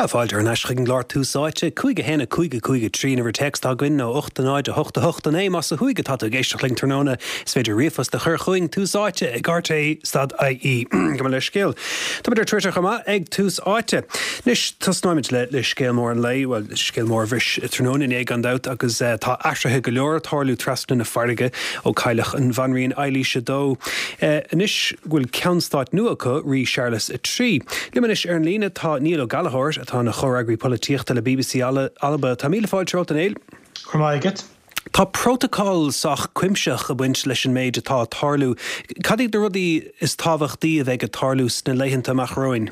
Sea, fáilte thar n-ais chuig an gclár Tús Áite, 5 1 5 5 3 an uimhir téacs atá againn nó 8 0 8 8 9 más ó thuaidh atá tú ag éisteacht linn tráthnóna. Is féidir ríomhphost a chur chugainn, Tús Áite ag rte stad ie. Gabh mo leithscéal. Táimid ar Twitter chomh maith ag Tús Áite. Anois, tosnóimid le le scéal mór an lae, bhuel, scéal mór a bhris tráthnóna inné gan dabht agus tá athruithe go leor ag tarlú trasna na farraige ó cailleadh an Bhanríon Eilís a Dó. Anois go bhfuil ceann stáit nua acu, Rí Séarlas a Trí. Liom anois ar an líne tá Niall Ó Gallchóir, atá ina chomhfhreagraí polaitíochta le bbc Alba. Tá míle fáilte romhat, a Néill. Go raibh maith agat. Tá prótacal sách cuimsitheach ag baint leis an méid atá ag tarlú. Cad iad na rudaí is tábhachtaí a bheidh ag tarlú sna laethanta amach romhainn?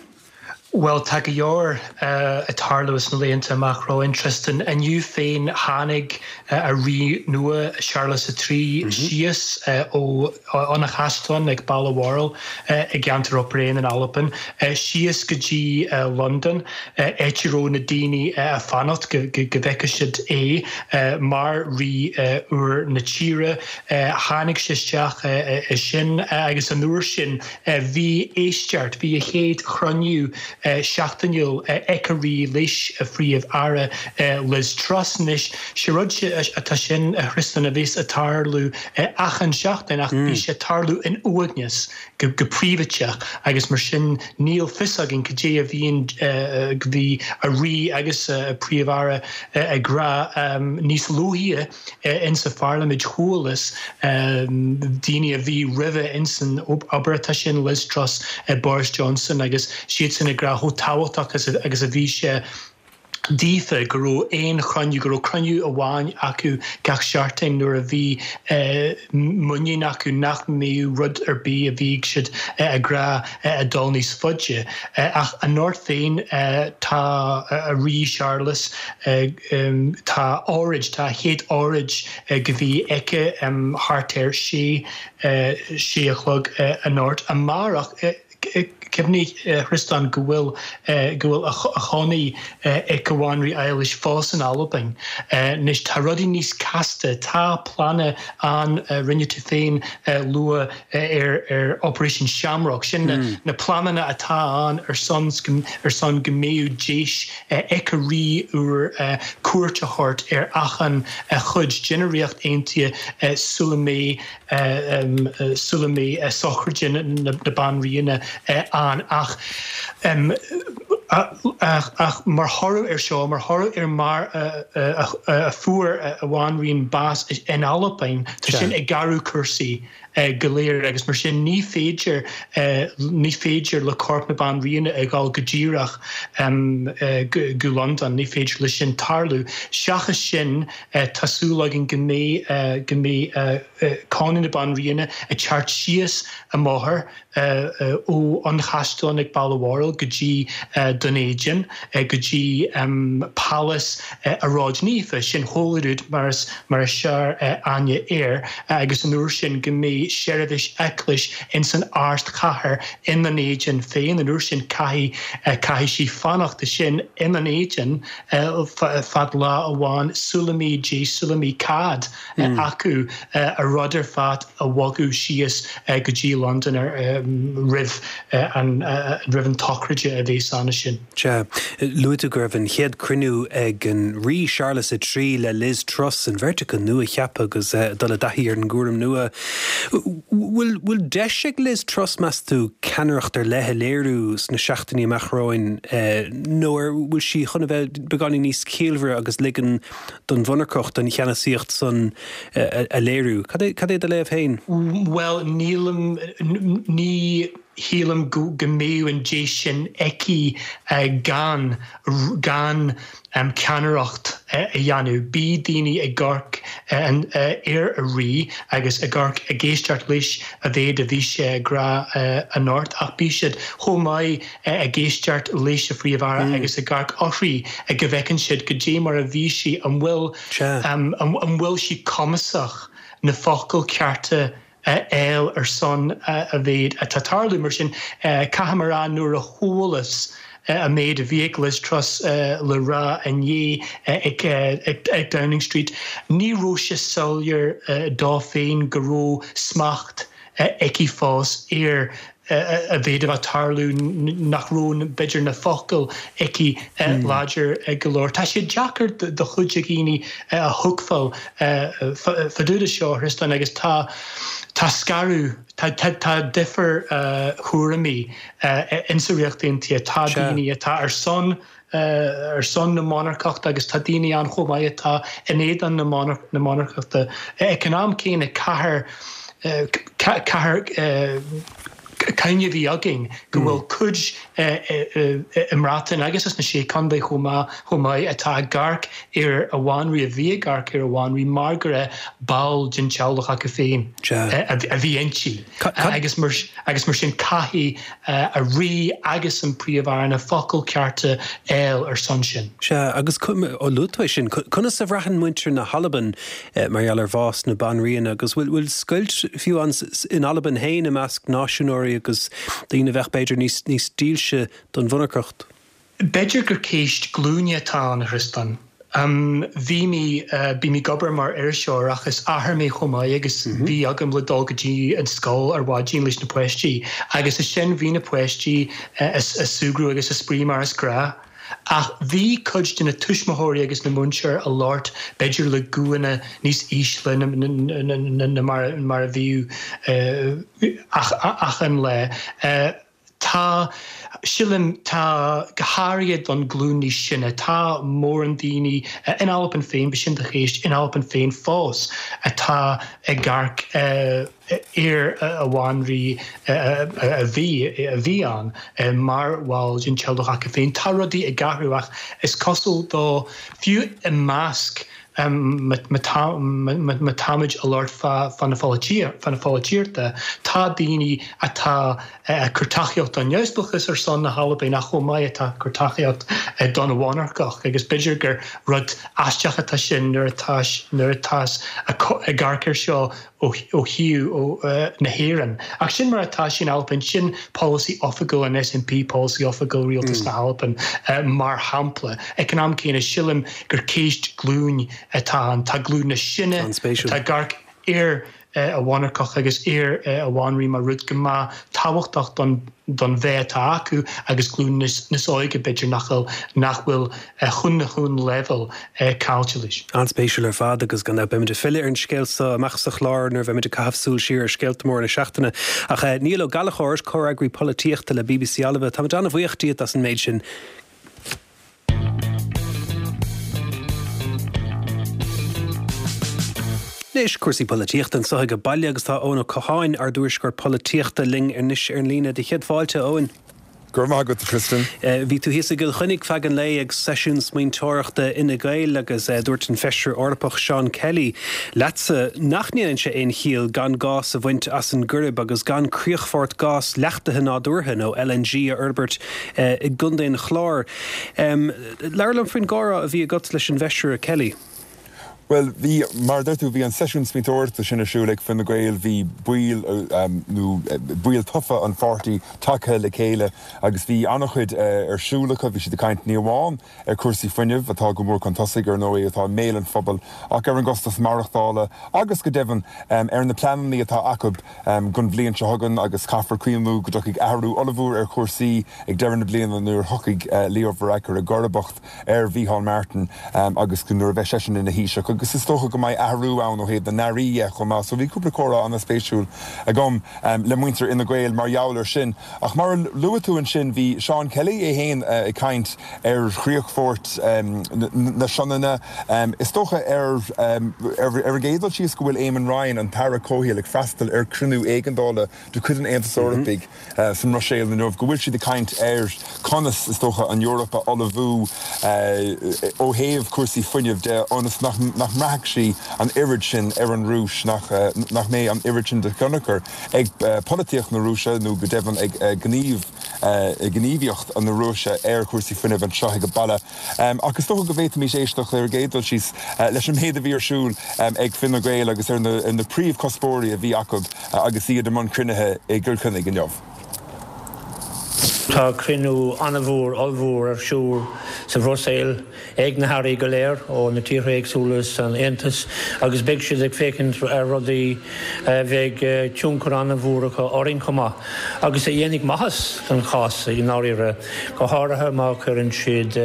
Bhuel, tá go leor ag tarlú sna laethanta amach romhainn, Tristan. Inniu féin tháinig an Rí nua, Séarlas a Trí, síos ó óna chaisleán ag Balmoral i gceantar Upper in Albain, síos go dtí Londain, áit a raibh na daoine ag fanacht go bhfeicfeadh siad é mar Rí úr na tíre. Tháinig sé isteach ansin agus an uair sin, Bhí éisteacht, bhí a chéad chruinniú seachtainiúil ag an Rí leis an Phríomh-Aire Liz Truss. Anois, sé rud atá sin, a Thristan, a bheas ag tarlú achan seachtain ach bhí sé ag tarlú in uaigneas, go príobháideach agus mar sin níl fios againn cad é a bhíonn, bhí an Rí agus an Príomh-Aire ag rá níos luaithe. Insa pharlaimint chualas daoine a bhí roimhe insan obair atá sin, Liz Truss, Boris Johnson agus siadsan ag rá chomh tábhachtach agus a bhí sé daofa go raibh aon chruinniú, go raibh cruinniú amháin acu gach seachtain nuair a bhí muinín acu nach mbeadh rud ar bith a bhíodh siad ag rá ag dul níos faide. Ach anocht féin tá an Rí Séarlas Tá óráid, tá a chéad óráid go bhí aici thart ar sé, sé a chlog anocht. Amárach, cuimhnigh a Thriostáin go bhfuil, go bhfuil a chónaí ag an Bhanríon Eilís fós in Albain. Anois tá rudaí níos casta, tá pleananna ann, rinne tú féin lua ar ar Operation Shamrock, sin na pleananna atá ann ar son ar son go mbeadh deis ag an Rí úr cuairt a thabhairt ar achan chuid den Ríocht Aontaithe sula mbeidh sula mbeidh sochraid na Banríona ann. Ach ach mar thoradh ar seo, mar thoradh ar mar a fuair an Bhanríon bás in Albain, tá sin ag athrú cúrsaí. go léir agus mar sin ní féidir ní féidir le corp na Banríona a dhul go díreach go Londain, ní féidir le sin tarlú. Seachas sin tá súil againn go mbeidh go mbeidh cónaí na Banríona ag teacht síos an bóthar ó an chaisleán ag Balmoral go dtí Dún Éideann, go dtí Pálás an Róid Naofa, sin Holyrood mar is mar is fearr aithne air, agus an uair sin go mbeidh seirbhís eaglais ins an ardchathair i nDún Éideann féin, an uair sin caithfidh caithfidh sí fanacht ansin i nDún Éideann feadh lá amháin sula mbeidh deis sula mbeidh cead acu a rud ar fad a bhogadh síos go dtí Londain roimh an roimh an tsochraid a bheas ann ansin. Sea, luaigh tú go raibh an chéad cruinniú ag an Rí Séarlas a Trí le Liz Truss, an bheirt acu nua-cheaptha agus ag dul i dtaithí ar an gcúram nua. Bhfuil bhfuil deis ag Liz Truss, meas tú, ceannaireacht ar leith a léiriú sna seachtainí amach romhainn nó ar bhfuil sí chun a bheith beagáinín níos ciallmhaire agus ligean don mhonarcacht, an cheannasaíocht san a léiriú. Cad é, cad é do léamh féin? Bhuel, nílim, ní shílim go mbeadh an deis sin aici gan, gan ceannaireacht a dhéanamh. Beidh daoine ag amharc ar an Rí agus ag amharc, ag éisteacht leis a mhéad a bhí sé ag rá anocht ach beidh siad chomh maith ag éisteacht leis an Phríomh-Aire agus ag amharc uirthi go bhfeiceann siad goidé mar a bhí sí, an bhfuil, an bhfuil sí cumasach na focail cearta a fháil ar son a mhéad atá tarlú. Mar sin, caithfidh mé a rá nuair a chualas an méid a bhí ag Liz Truss le rá inné ag Downing Street, ní raibh sé soiléir dó féin go raibh smacht. aici fós ar a mhéid a bheith tarlú nach raibh b'fhéidir na focail aici láidir go leor. Tá sé deacair do chuid de dhaoine a thuigbheáil fá dtaobh de seo, a Thriostáin, agus tá tá scaradh, tá tá difear thuairimí insa Ríocht Aontaithe. Tá daoine atá ar son ar son na monarcachta agus tá daoine ann chomh maith atá in éadan na monarcachta. Ag an am céanna, caithfear caithfear cuimhne a bheith againn go bhfuil cuid i mBreatain agus sna Sé Chontae chomh maith chomh maith atá ag amharc ar a bhanrí, a bhí ag amharc ar a bhanrí mar go raibh ball den teaghlach acu féin a bhí inti agus mar agus mar sin caithfidh a rí agus an Príomh-Aire na focail cearta a fháil ar son sin. Sea, agus ó luaigh tú é sin, conas a bhraitheann muintir na hAlban mar gheall ar bhás na Banríona agus bhfuil scoilt fiú ann in Albain féin i measc náisiúnóirí agus daoine a bheadh b'fhéidir níos dílse don mhonarcacht? B'fhéidir gur ceist glúine atá ann, a Thriostáin. Bhí mé, bím ag obair mar iriseoir ach is athair mé chomh maith agus bhí agam le dul go dtí an scoil ar mhaidin leis na páistí agus ansin bhí na páistí ag súgradh agus ag spraoi mar is gnáth. Ach bhí cuid de na tuismitheoirí agus na múinteoirí ag labhairt b'fhéidir le guthanna níos ísle ná mar a bhíodh achan lá. Tá, sílim, tá, go háirithe don ghlúin níos sine, tá mórán daoine in Albain féin, b'shin do cheist, in Albain féin fós atá ag amharc ar a bhanrí a bhí, a bhí ann mar bhall den teaghlach acu féin. Tá rudaí ag athrú ach is cosúil dó, fiú i measc Má táimid ag labhairt fá na pholaitíochta, tá daoine atá ag cur tacaíocht don neamhspleáchas ar son na hAlban ach chomh maith atá ag cur tacaíocht don mhonarcacht agus b'fhéidir gur rud aisteach atá sin nuair atá nuair atá ag amharc air seo ó thaobh na hÉireann. Ach sin mar atá sé in Albain, sin polasaí oifigiúil an SNP, polasaí oifigiúil Rialtas na hAlban, mar shampla. Ag an am céanna, sílim gur ceist glúin atá ann. Tá glúin na sine atá ag amharc ar a mhonarcacht agus ar a bhanrí mar rud go maith tábhachtach don don bheith atá acu agus glúin níos óige b'fhéidir nach bhfuil nach bhfuil chun na chun leibhéal caillte leis. An-spéisiúil ar fad agus gan dabht beimid ag filleadh ar an scéal seo amach sa chlár nuair a bheimid ag caitheamh súil siar ar scéalta móra na seachtaine. Ach Niall Ó Gallchóir, comhfhreagraí polaitíochta le bbc Alba, táimid an-bhuíoch díot as an méid sin. Anois, cúrsaí polaitíochta anseo ag baile agus tá Eoin Ó Catháin, ár dtuairisceoir polaitíochta, linn anois ar an líne. Do chéad fáilte, a Eoin. Go raibh maith agat, a Tristan. Bhí tú thíos i gCill Chainnigh feadh an lae ag seisiún smaointeoireachta Fhine Gael agus dúirt an Feisire Eorpach Seán Kelly leatsa nach ndéanann sé aon chiall gan gás a bhaint as an gCoirib agus gan críochfort gás leachtaithe nádúrtha nó LNG a fhorbairt i gContae an Chláir. Labhair liom faoin gcomhrá a bhí agat leis an bhFeisire Kelly. Bhuel, bhí, mar a deir tú, bhí an seisiún smaointeoireachta sin ar siúl ag Fine Gael, bhí baill nó baill tofa an pháirtí tagtha le chéile agus bhí an-chuid ar siúl acu. Bhí siad ag caint ní amháin ar chúrsaí fuinnimh, atá go mór chun tosaigh, ar ndóigh, atá i mbéal an phobail, ach ar an gcostas maireachtála agus, go deimhin, ar na pleananna atá acu don bhliain seo chugainn agus caithfear cuimhniú go dtiocfaidh athrú ollmhór ar chúrsaí ag deireadh na bliana nuair a thiocfaidh Leo Varadkar i gcomharbacht ar Mhícheál Martin agus nuair a bheidh seisean ina Thaoiseach agus is dócha go mbeidh athrú ann ó thaobh na n-airí dhe chomh maith. So bhí cúpla comhrá an-spéisiúil agam le muintir Fhine Gael mar gheall air sin. Ach mar a luaigh tú ansin bhí Seán Kelly é féin ag caint ar chríochfort na Sionainne. Is dócha ar ar an gcéad dul síos go bhfuil Eamon Ryan, an tAire Comhshaoil, ag freastal ar chruinniú éigeandála de chuid an Aontais Eorpaigh sa mBruiséil inniu, go bhfuil siad ag caint ar conas, is dócha, an Eoraip a ullmhú ó thaobh cúrsaí fuinnimh de ionas nach mbraithfidh sí an oiread sin ar an Rúis, nach mbeidh an oiread sin de thionchar ag polaitíocht na Rúise nó go deimhin ag gníomhaíocht na Rúise ar chúrsaí fuinnimh anseo ag baile. Ach is dócha go bhféadfaimis éisteacht ar an gcéad dul síos leis an méid a bhí ar siúl ag Fine Gael agus ar na príomhchuspóirí a bhí acu agus iad i mbun cruinnithe i gCill Chainnigh inniu. Tá cruinniú an-mhór, ollmhór ar siúl sa Bhruiséil ag na hairí go léir ó na tíortha éagsúla san Aontas agus beidh siad ag féachaint ar rudaí a bheidh tionchar an-mhór acu orainn chomh maith agus a dhéanfaidh maitheas don chás i ndáiríre, go háirithe má chuireann siad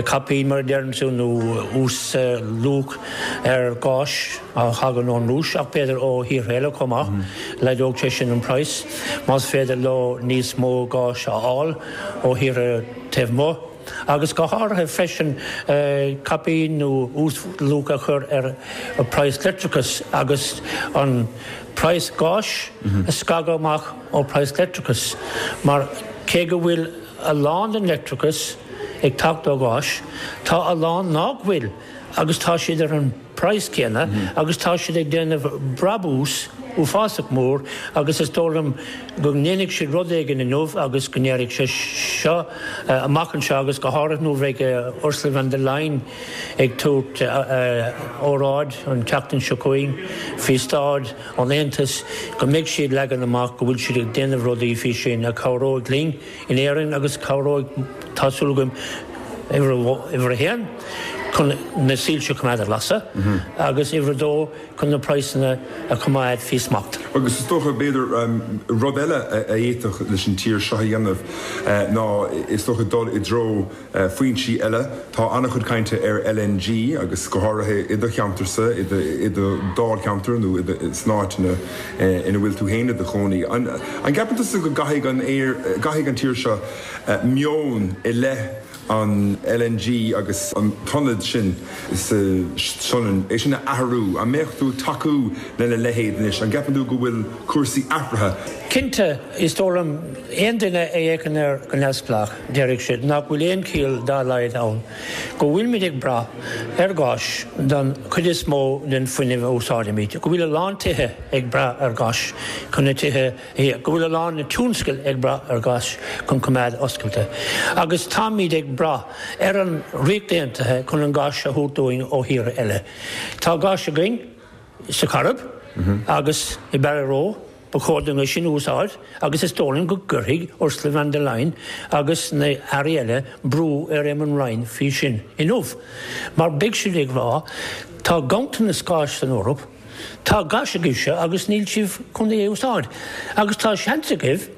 caipín, mar a deireann tú, nó uas-luach ar ghás a thagann ón Rúis ach b'fhéidir ó thíortha eile chomh maith. Laghdódh sé sin an praghas más féidir leo níos mó gáis a fháil ó thíortha taobh amuigh agus go háirithe freisin caipín nó uas-luach a chur ar praghas leictreachais agus an praghas gáis a scagadh amach ó praghas leictreachais mar cé go bhfuil a lán den leictreachas ag teacht ó ghás, tá a lán nach bhfuil agus tá siad ar an praghas céanna agus tá siad ag déanamh brabús uafásach mór agus is dóigh liom go ndéanfaidh siad rud éigin inniu agus go ndéarfaidh sé seo amach anseo agus go háirithe nuair a bheidh Ursula von der Leyen ag tabhairt óráid an tseachtain seo chugainn faoi staid an Aontais go mbeidh sí ag leagan amach go bhfuil siad ag déanamh rudaí faoi sin a chabhróidh linn in Éirinn agus cabhróidh, tá súil agam, uimhir a haon, chun na soilse a choimeád ar lasadh agus uimhir a dó, chun na praghsanna a choimeád faoi smacht. Agus is dócha, b'fhéidir, rud eile a fhéadfadh leis an tír seo a dhéanamh ná, is dócha, dul i dtreo foinsí eile. Tá an-chuid cainte ar LNG agus go háirithe i do cheantarsa, i do dháilcheantar nó san áit ina ina bhfuil tú féin i do chónaí. An gceapann tusa go gcaithfidh an gcaithfidh an tír seo meon i leith an LNG agus an t-ionad sin sa Sionainn, é sin a athrú? An mbeadh tú ag tacú lena leithéid anois? An gceapann tú go bhfuil cúrsaí athraithe? Cinnte, is dóigh liom, aon duine a fhéachann air go neamhspleách, déarfaidh siad nach bhfuil aon chiall dá laghad ann go bhfuilimid ag brath ar ghás don chuid is mó den fuinneamh a úsáidimid, go bhfuil a lán tithe ag brath ar ghás chun na tithe a théamh, go bhfuil a lán tionscail ag brath ar ghás chun coimeád oscailte, agus táimid ag brath ar an Ríocht Aontaithe chun an gás a thabhairt dúinn ó thíortha eile. Tá gás againn sa Choirib agus i Barryroe. Ba chóir dúinn é sin a úsáid agus is dóigh liom go gcuirfidh Ursula von der Leyen agus na hairí eile brú ar Eamon Ryan faoi sin inniu. Mar beidh siad ag rá, tá ganntanas gáis san Eoraip, tá gás agaibhse agus níl sibh chun é a úsáid. Agus tá seans agaibh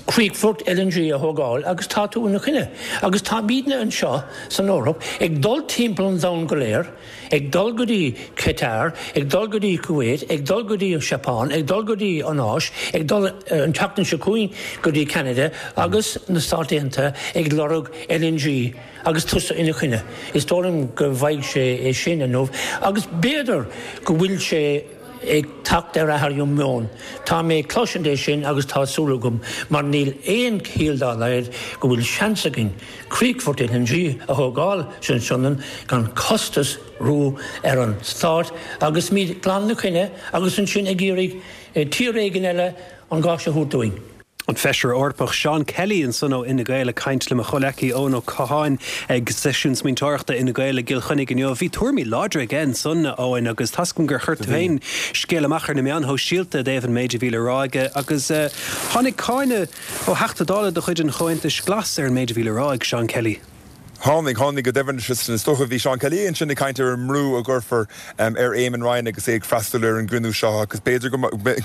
críochfort LNG a thógáil agus tá tú ina choinne. Agus táimidne anseo san Eoraip ag dul timpeall an domhain go léir, ag dul go dtí Qatar, ag dul go dtí Kuwait, ag dul go dtí an Seapáin, ag dul go dtí an Áis, ag dul an tseachtain seo chugainn go dtí Ceanada agus na Stáit Aontaithe ag lorg LNG agus tusa ina choinne. Is dóigh liom go bhfaighidh sé é sin inniu agus b'fhéidir go bhfuil sé ag teacht ar athrú meoin. Tá mé ag cloisint é sin agus tá súil agam, mar níl aon chiall dá laghad go bhfuil seans againn críochfort LNG a thógáil sa tSionainn gan costas ró ar an stát agus muid glan ina choinne agus ansin ag iarraidh tír éigin eile an gás a thabhairt dúinn. An Feisire Eorpach Seán Kelly ansan ó Fhine Gael ag caint le mo chomhleacaí Eoin Ó Catháin ag seisiún smaointeoireachta Fhine Gael i gCill Chainnigh inniu. Bhí tuairimí láidre aige ansan, a Eoin, agus tá's agam gur chuir tú féin scéal amach ar na meáin shóisialta i dtaobh an méid a bhí le rá aige agus tháinig cáineadh ó Theachta Dála de chuid an Chomhaontais Ghlais ar an méid a bhí le rá ag Seán Kelly. Tháinig, tháinig go deimhin. Is dócha, bhí Seán Kelly ansin ag caint ar an mbrú a gcuirfear ar Éamon Ryan agus é ag freastal ar an gcruinniú seo agus b'fhéidir go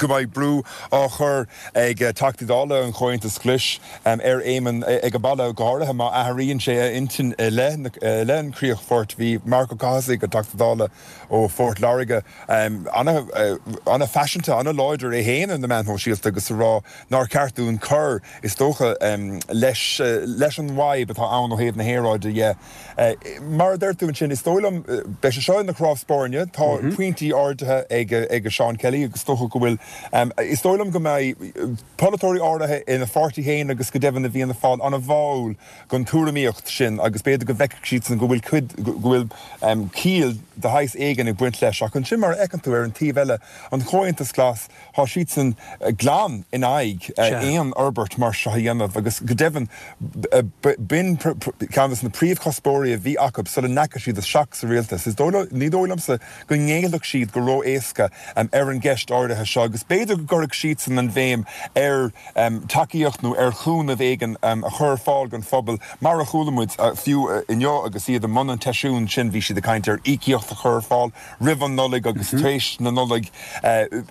mbeidh brú á chur ag Teachtaí Dála an Chomhaontais Ghlais ar Éamon ag an baile, go háirithe má athraíonn sé a intinn i leith an chríochfoirt. Bhí Marc Ó Cathasaigh, an Teachta Dála ó Phort Láirge, an-phaiseanta, an-láidir é féin ar na meáin shóisialta agus ag rá nár cheart dúinn cur is dócha, leis leis an bhfadhb atá ann ó thaobh na haeráide dhe. Mar a deir tú ansin, is dóigh liom, beidh sé seo ina chnámh spairne. Tá pointí ardaithe ag ag Seán Kelly agus is dócha go bhfuil, is dóigh liom go mbeidh polaiteoirí áirithe ina pháirtí féin agus go deimhin i bhFianna Fáil an-bháúil don tuairimíocht sin agus b'fhéidir go bhfeicfidh siadsan go bhfuil cuid, go bhfuil ciall de shaghas éigin ag baint leis. Ach ansin mar a fheiceann tú ar an taobh eile, an Comhaontas Glas, Tá siadsan glan in aghaidh aon fhorbairt mar seo a dhéanamh agus go deimhin b'in ceann de na. príomhchuspóirí a bhí acu sula ndeachaigh siad isteach sa rialtas. Is dóigh, ní dóigh liomsa go ngéillfeadh siad go ró-éasca ar an gceist áirithe seo agus b'fhéidir go gcuirfeadh siadsan an bhéim ar tacaíocht nó ar chúnamh éigin a chur ar fáil don phobal mar a chuala muid fiú inniu agus iad i mbun an tseisiúin sin bhí siad ag caint ar íocaíocht a chur ar fáil roimh an Nollaig agus tar éis na Nollag.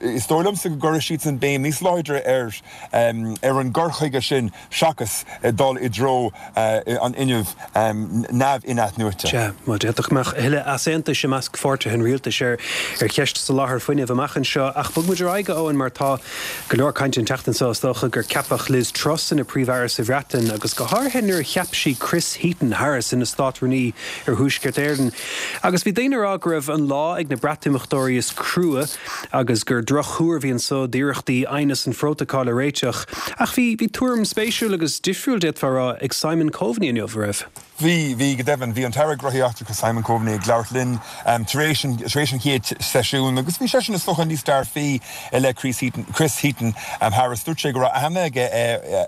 Is dóigh liomsa go gcuirfidh siadsan béim níos láidre ar ar an gcur chuige sin seachas dul i dtreo an fhuinnimh neamh-inathnuaite. Sea, bhuel, d'fhéadfadh go mbeadh a thuilleadh easaontais i measc pháirtithe an rialtais ar cheist soláthar fuinnimh amach anseo. Ach bog muid ar aghaidh, a Eoin, mar tá go leor cainte an tseachtain seo, is dócha, gur ceapadh Liz Truss ina Príomh-Aire sa Bhreatain agus go háirithe nuair a cheap sí Chris Heaton-Harris ina Státrúnaí ar Thuaisceart Éireann. Agus bhí daoine ag rá go raibh an lá ag na Breatimeachtóirí is crua agus gur drochthuar a bhí anso d'iarrachtaí aighneas an phrótacail a réiteach. Ach bhí, bhí tuairim spéisiúil agus difriúil, d'fhéadfá a rá, ag Simon Coveney inniu, an raibh? Bhí, bhí, go deimhin. Bhí an tAire Gnóthaí Eachtracha Simon Coveney ag labhairt linn tar éis an, tar éis an chéad seisiún agus bhí seisean is dócha níos dearfaí i leith Chris Heaton, Chris Heaton Harris. Dúirt sé go raibh aithne aige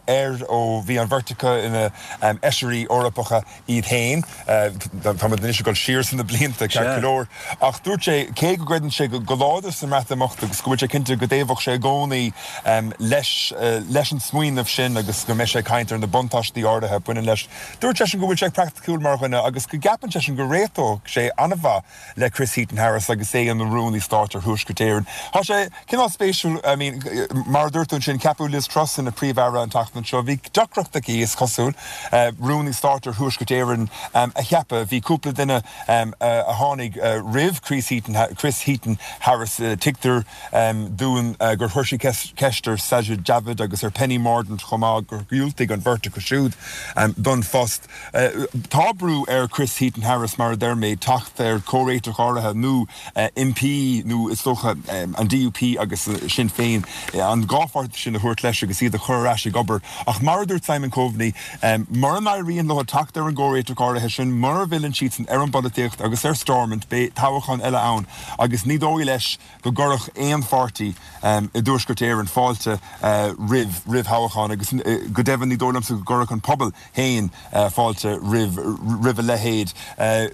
air ó bhí an bheirt acu ina bhFeisirí Eorpacha. iad féin. Tá muid anois ag dul siar sna blianta, ceart go leor. Ach dúirt sé, cé go gcreideann sé go láidir sa mBreatimeacht agus go bhfuil sé cinnte go dtaobhódh sé i gcónaí leis leis an smaoineamh sin agus go mbeidh sé ag caint ar na buntáistí áirithe a bhaineann leis, dúirt seisean go bhfuil sé praiticiúil mar dhuine agus go gceapann seisean go réiteodh sé an-mhaith le Chris Heaton-Harris agus é ina Rúnaí Stáit ar Thuaisceart Éireann. Tá sé cineál spéisiúil, I mean, mar a dúirt tú ansin, ceapadh Liz Truss ina Príomh-Aire an tseachtain seo. Bhí deacracht aici, is cosúil, Rúnaí Stáit ar Thuaisceart Éireann a cheapadh. Bhí cúpla duine a tháinig roimh Chris Heaton-Harris. Tuigtear dúinn gur chuir sí ceist ar Sajid Javid agus ar Penny Mordaunt chomh maith, gur dhiúltaigh an bheirt acu siúd don phost. Tá brú ar Chris Heaton-Harris, mar a deir mé, teacht ar chomhréiteach áirithe nó impí nó is dócha an DUP agus Sinn Féin, an dhá pháirtí sin a thabhairt leis agus iad a chur ar ais ag obair. Ach mar a dúirt Simon Coveney, mura n-éiríonn leo teacht ar an gcomhréiteach áirithe sin, mura bhfilleann siadsan ar an bpolaitíocht agus ar Stormont, beidh toghchán eile ann agus ní dóigh leis go gcuirfeadh aon pháirtí i dTuaisceart Éireann fáilte roimh roimh thoghchán agus go deimhin ní dóigh liomsa go gcuirfeadh an pobal féin fáilte roimh roimh a leithéid.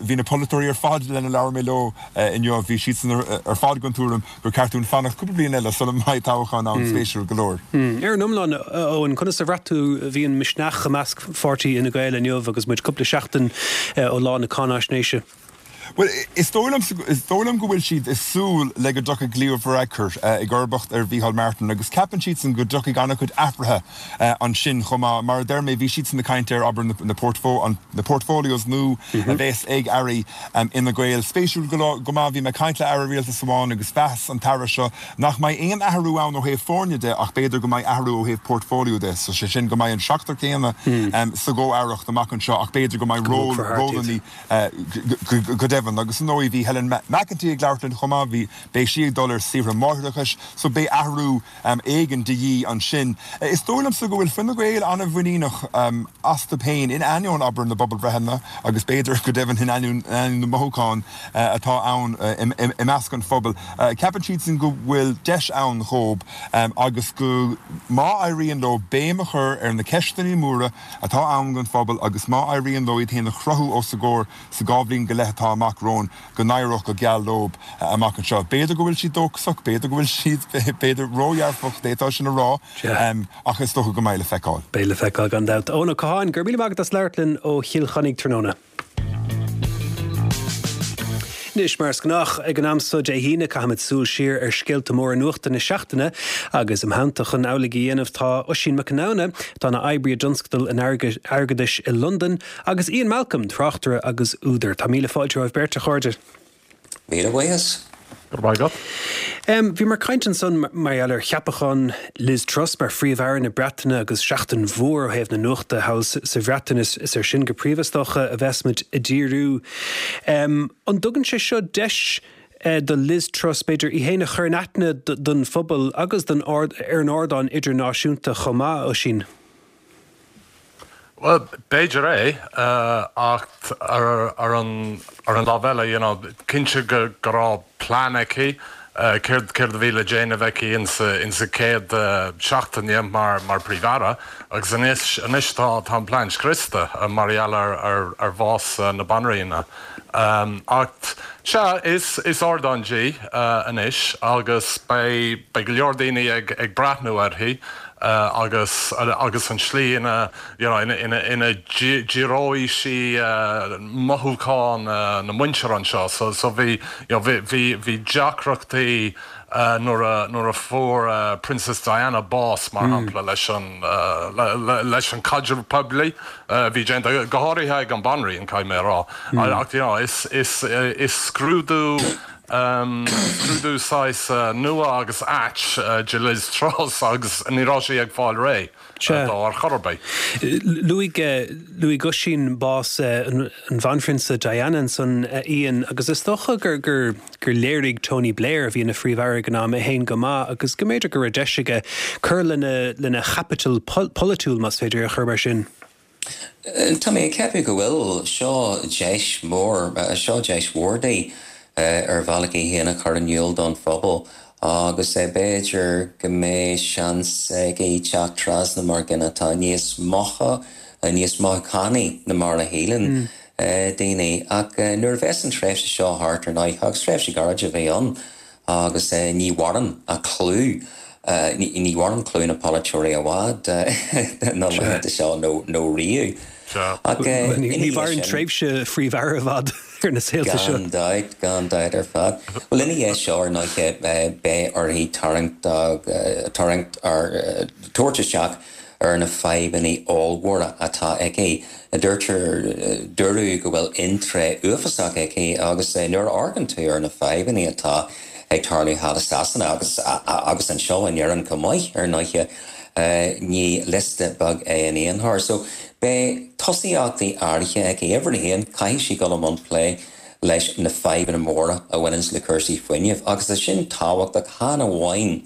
Bhí na polaiteoirí ar fad lena labhair mé leo inniu, bhí siadsan ar fad den tuairim gur ceart dúinn fanacht cúpla bliain eile sula mbeidh toghchán ann, spéisiúil go leor. Ar an iomlán, a Eoin, conas a bhraith tú a bhí an misneach i measc pháirtí Fhine Gael inniu agus muid cúpla seachtain ó lá na cáináisnéise? Bhuel, is dóigh liom, is dóigh liom go bhfuil siad ag súil le go dtiocfaidh Leo Varadkar i gcomharbacht ar Mhícheál Martin agus ceapann siadsan go dtiocfaidh an-chuid athruithe ansin chomh maith. Mar a deir mé, bhí siadsan ag caint ar, abair, na na portfolios nua a bheas ag airí Fhine Gael. Spéisiúil go maith, bhí mé ag caint le aire rialtais amháin agus mheas an t-aire seo nach mbeidh aon athrú ann ó thaobh foirne de ach b'fhéidir go mbeidh athrú ó thaobh portfolio de, so sé sin go mbeidh an seachtar céanna sa gcomh-aireacht amach anseo ach b'fhéidir go mbeidh ról, rólanna Go deimhin, agus ar ndóigh bhí Helen McEntee ag labhairt linn chomh maith, bhí, beidh sí ag dul ar saoire máithreachais so beidh athrú éigin de dhíth ansin. Is dóigh liomsa go bhfuil Fine Gael an-mhuiníneach astu féin, in ainneoin, abair, na bpobalbhreitheanna agus b'fhéidir, go deimhin, in ainneoin na mothúchán atá ann i measc an phobail. Ceapann siadsan go bhfuil deis ann dhóibh agus go, má éiríonn leo béim a chur ar na ceisteanna móra, atá ann don phobal agus má éiríonn leo iad féin a chruthú os a gcomhair sa dhá bhliain go leith atá amach romhainn, go n-éireodh go geal leo amach anseo. B'fhéidir go bhfuil siad dóchasach, b'fhéidir go bhfuil siad, b'fhéidir, ródhearfach, d'fhéadfá sin a rá, ach is dócha go mbeidh le feiceáil. Beidh le feiceáil, gan dabht. Eoin Ó Catháin, go raibh míle maith agat as labhairt linn ó Chill Chainnigh tráthnóna. Anois, mar is gnách ag an am so Dé hAoine, caithfimid súil siar ar scéalta móra nuachta na seachtaine agus im theannta chun amhlaidh a dhéanamh tá Oisín Mac Conamhna, atá ina oibrí i dtionscadal an airgeadais i Londain, agus Ian Malcolm, tráchtaire agus údar. Tá míle fáilte romhaibh beirt, a chairde. Míle buíochas. Go raibh maith agat. Bhíomar ag caint ansan mar gheall ar cheapachán Liz Truss mar Phríomh-Aire na Breataine agus seachtain mhór ó thaobh na nuachta thall sa Bhreatain. Is air sin go príomha, is dócha, a bheas muid ag díriú. An dtugann sé seo deis do Liz Truss, b'fhéidir, í féin a chur in aithne don phobal agus don ar an ardán idirnáisiúnta chomh maith, Oisín? Bhuel, b'fhéidir é, ach ar an ar an lámh eile, you know, cinnte go go raibh plean aici. céard céard a bhí le déanamh aici insa insa chéad seachtaine mar mar Príomh-Aire agus anois anois tá tá an plean scriosta mar gheall ar ar ar bhás na Banríona. Ach sea, is is ardán di anois agus beidh beidh go leor daoine ag ag breathnú uirthi agus agus an tslí ina you know ina ina ina ndíreoidh sí mothúcháin na muintire anseo. So so bhí you know bhí bhí bhí deacrachtaí nuair a nuair a fuair Princess Diana bás mar shampla leis an leis an caidreamh poiblí a bhí déanta, go háirithe ag an Banríon caithfidh mé a rá. Ach you know is is is scrúdú scrúdú saghas nua agus ait do Liz Truss agus ní raibh sí ag fáil réidh dó ar chor ar bith. Luaigh luaigh Oisín bás an Bhanphrionsa Diana ansan, a Ian, agus is dócha gur gur gur léirigh Tony Blair, a bhí ina Phríomh-Aire ag an am, é féin go maith agus go mb'fhéidir go raibh deis aige cur lena lena chaipiteal polaitiúil, más féidir é a chur mar sin. Tá mé ag ceapadh go bhfuil. Seo deis mhór, seo deis mhór di ar bhealach í féin a chur in iúl don phobal agus b'fhéidir go mbeidh seans aici teacht trasna mar dhuine atá níos mocha, níos mothúchánaí ná mar a shíleann daoine. Ach nuair a bheas an tréimhse seo thart ar ndóigh, agus tréimhse ghairid a bheidh ann, Agus ní mhaireann a clú, ní mhaireann clú na polaiteoirí i bhfad na laethanta seo nó riamh. Ach ní mhaireann tréimhse Phríomh-Aire i bhfad ar na saolta seo. Gan dabht, gan dabht ar fad. Bhuel, ina dhiaidh seo, ar ndóiche, beidh uirthi tarraingt, tarraingt ar, tabhairt isteach ar na fadhbanna ollmhóra atá aici. Deirtear, dúradh go bhfuil in-tray uafásach aici agus nuair a amharcann tú ar na fadhbanna atá ag tarlú thall i Sasana agus agus anseo in Éirinn chomh maith, ar ndóiche, ní liosta beag é in aon chor. So, beidh tosaíochtaí áirithe aici. Uimhir a haon, caithfidh sí dul i mbun plé leis na fadhbanna móra a bhaineanns le cúrsaí fuinnimh agus tá sin tábhachtach chan amháin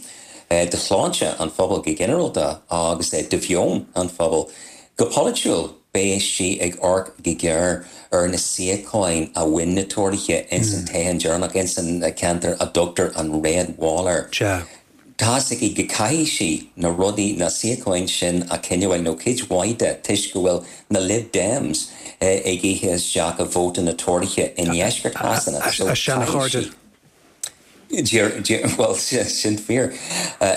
do shláinte an phobail go ginearálta agus do mheon an phobail. Go polaitiúil, beidh sí ag amharc go géar ar na suíocháin a bhain na Tóraithe ins an toghchán deireanach ins an ceantar a dtugtar an Red Wall air. Tá's aici go gcaithfidh sí na rudaí, na suíocháin sin a choinneáil, nó cuid mhaith de, toisc go bhfuil na Lib Dems ag ithe isteach i vóta na Tóraithe i ndeisceart Shasana. A seana-chairde. Bhuel, sin fíor.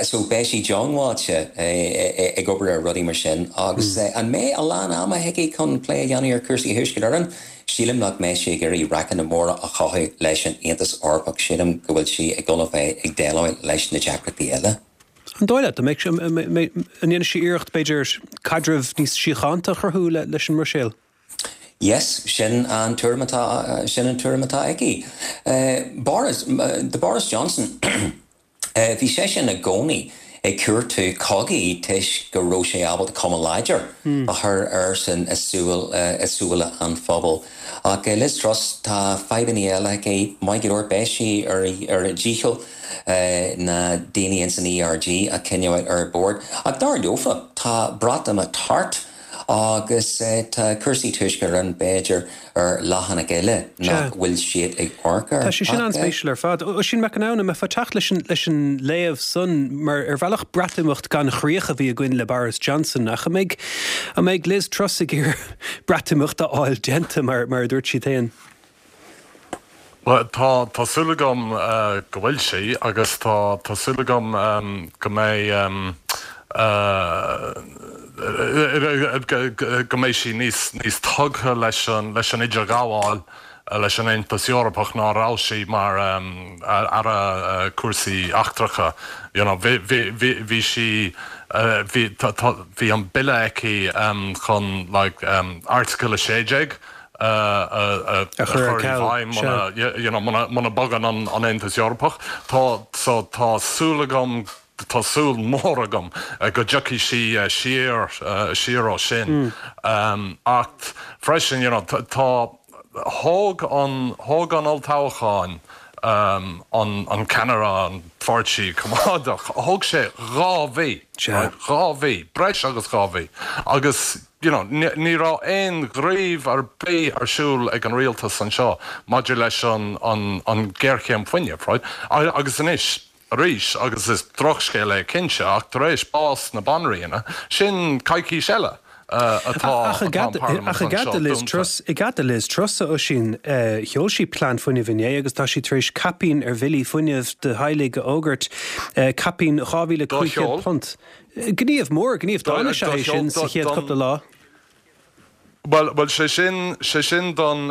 So, beidh sí diongbháilte ag obair ar rudaí mar sin agus an mbeidh a lán ama aici chun plé a dhéanamh ar chúrsaí Thuaisceart Éireann? Sílim nach mbeidh sí ag iarraidh raiceanna móra a chothú leis an Aontas Eorpach. Sílim go bhfuil sí ag dul a bheith ag déileáil leis na deacrachtaí eile. An dóigh leat, an mbeidh, an ndéanfaidh sí iarracht, b'fhéidir, caidreamh níos síochánta a chruthú leis an mBruiséil? Yes, sin an tuairim atá, sin an tuairim atá aici. Boris, do Boris Johnson, bhí seisean i gcónaí ag cuartú cogaí toisc go raibh sé ábalta cuma láidir a chur airsean i súil, i súile an phobail. Ach Liz Truss, tá fadhbanna eile aici, maith go leor, beidh sí ar ar a dícheall na daoine ins an ERG a choinneáil ar bord. Ach dar leofa, tá Breatimeacht thart. Agus tá cúrsaí Tuaisceart Éireann, b'fhéidir, ar leathanach eile nach bhfuil siad ag amharc air. Tá sé sin an-spéisiúil ar fad. Oisín McInerney, an mbeifeá ag teacht leis an leis an léamh san, mar ar bhealach Breatimeacht gan chríoch a bhí againn le Boris Johnson, ach an mbeidh an mbeidh Liz Truss ag iarraidh Breatimeacht a fháil déanta, mar mar a dúirt siad féin? Bhuel, tá, tá súil agam go bhfuil sí agus tá, tá súil agam go mbeidh, go mbeidh sí níos, níos tugtha leis an, leis an idirghabháil leis an Aontas Eorpach ná a raibh sí mar Aire Cúrsaí Eachtracha. You know, bhí, bhí, bhí, bhí sí, bhí, tá, tá, bhí an bille aici chun like Article 16 a chur i bhfeidhm muna muna mbogann an Aontas Eorpach. Tá so tá súil agam, tá súil mhór agam go dtiocfaidh sí siar siar ó sin. Ach freisin you know tá thóg an thóg an olltoghchán. An ceannaire an Pháirtí Coimeádach, thóg sé 2 mhí, right, 2 mhí, breis agus 2 mhí, agus you know ní raibh aon ghníomh ar bith ar siúl ag an rialtas anseo maidir leis an an géarchéim fuinnimh, right, agus anois arís, agus is drochscéal é cinnte, ach tar éis bás na Banríona, sin coicís eile atá Ach i an Parlaimint ach i anseo gcead do Liz dúnta. Truss, i gcead do Liz Truss, a Oisín, sheol sí plean fuinnimh inné agus tá sí tar éis caipín ar bhillí fuinnimh do theaghlaigh a fhógairt, caipín Do sheol. £2,500. Gníomh mór, gníomh dána is ea é sin sa chéad chúpla lá. Bhuel, bhuel, sé sin, sé sin don,